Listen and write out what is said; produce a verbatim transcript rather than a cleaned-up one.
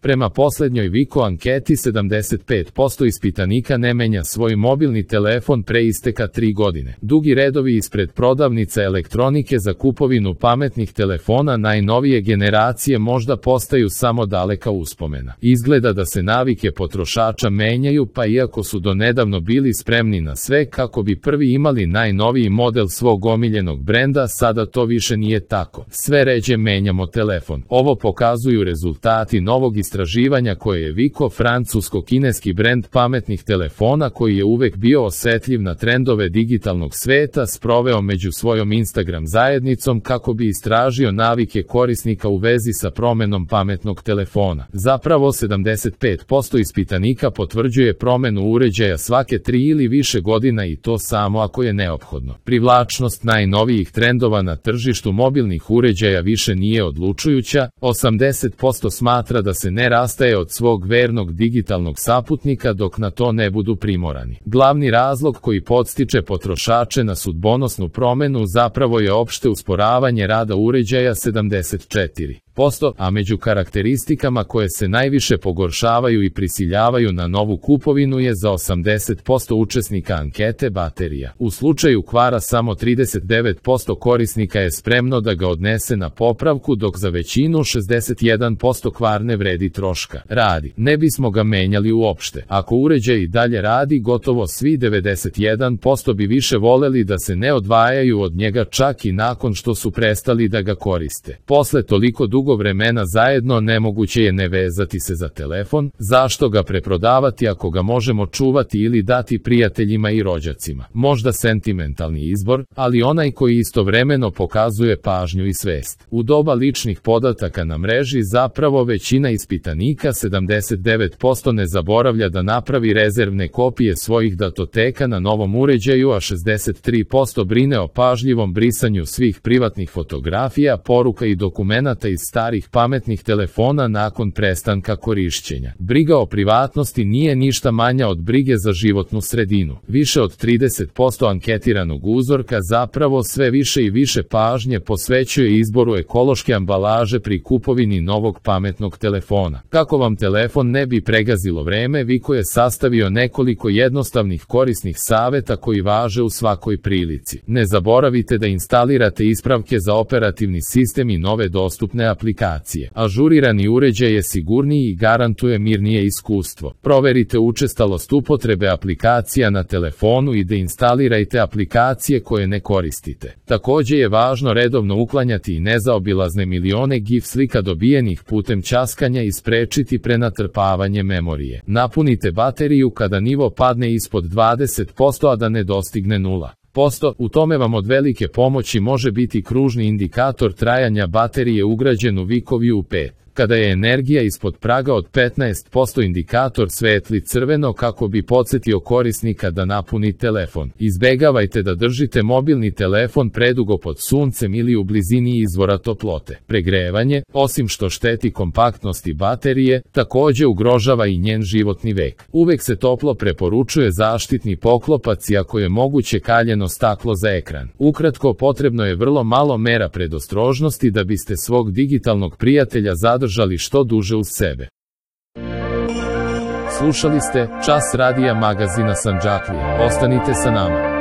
Prema poslednjoj Wiko anketi sedamdeset pet posto ispitanika ne menja svoj mobilni telefon pre isteka tri godine. Dugi redovi ispred prodavnica elektronike za kupovinu pametnih telefona najnovije generacije možda postaju samo daleka uspomena. Izgleda da se navike potrošača menjaju, pa iako su donedavno bili spremni na sve kako bi prvi imali najnoviji model svog omiljenog brenda, sada to više nije tako. Sve ređe menjamo telefon. Ovo pokazuju rezultati novog istraživanja koje je Wiko, francusko-kineski brend pametnih telefona koji je uvek bio osetljiv na trendove digitalnog sveta, sproveo među svojom Instagram zajednicom kako bi istražio navike korisnika u vezi sa promenom pametnog telefona. Zapravo sedamdeset pet posto ispitanika potvrđuje promenu uređaja svake tri ili više godina i to samo ako je neophodno. Privlačnost najnovijih trendova na tržištu mobilnih uređaja više nije odlučujuća, osamdeset posto smatra da se ne rastaje od svog vernog digitalnog saputnika dok na to ne budu primorani. Glavni razlog koji podstiče potrošače na sudbonosnu promenu zapravo je opšte usporavanje rada uređaja sedamdeset četiri posto, a među karakteristikama koje se najviše pogoršavaju i prisiljavaju na novu kupovinu je za osamdeset posto učesnika ankete baterija. U slučaju kvara samo trideset devet posto korisnika je spremno da ga odnese na popravku, dok za većinu šezdeset jedan posto kvar ne vredi troška. Radi. Ne bismo ga menjali uopšte. Ako uređaj i dalje radi, gotovo svi devedeset jedan posto bi više voleli da se ne odvajaju od njega čak i nakon što su prestali da ga koriste. Posle toliko dugo dugo vremena zajedno nemoguće je ne vezati se za telefon, zašto ga preprodavati ako ga možemo čuvati ili dati prijateljima i rođacima. Možda sentimentalni izbor, ali onaj koji istovremeno pokazuje pažnju i svest. U doba ličnih podataka na mreži zapravo većina ispitanika sedamdeset devet posto ne zaboravlja da napravi rezervne kopije svojih datoteka na novom uređaju, a šezdeset tri posto brine o pažljivom brisanju svih privatnih fotografija, poruka i dokumenata iz starih pametnih telefona nakon prestanka korišćenja. Briga o privatnosti nije ništa manja od brige za životnu sredinu. Više od trideset posto anketiranog uzorka zapravo sve više i više pažnje posvećuje izboru ekološke ambalaže pri kupovini novog pametnog telefona. Kako vam telefon ne bi pregazilo vreme, Wiko je sastavio nekoliko jednostavnih korisnih saveta koji važe u svakoj prilici. Ne zaboravite da instalirate ispravke za operativni sistem i nove dostupne aplikacije. Ažurirani uređaj je sigurniji i garantuje mirnije iskustvo. Proverite učestalost upotrebe aplikacija na telefonu i deinstalirajte aplikacije koje ne koristite. Takođe je važno redovno uklanjati i nezaobilazne milione gif slika dobijenih putem ćaskanja i sprečiti prenatrpavanje memorije. Napunite bateriju kada nivo padne ispod dvadeset posto, a da ne dostigne nula posto. U tome vam od velike pomoći može biti kružni indikator trajanja baterije ugrađen u Wiko View pet. Kada je energija ispod praga od petnaest posto, indikator svetli crveno kako bi podsetio korisnika da napuni telefon. Izbegavajte da držite mobilni telefon predugo pod suncem ili u blizini izvora toplote. Pregrevanje, osim što šteti kompaktnosti baterije, takođe ugrožava i njen životni vek. Uvek se toplo preporučuje zaštitni poklopac i ako je moguće kaljeno staklo za ekran. Ukratko, potrebno je vrlo malo mera predostrožnosti da biste svog digitalnog prijatelja zadržali držali što duže uz sebe. Slušali ste Čas radija magazina Sandžaklija. Ostanite sa nama.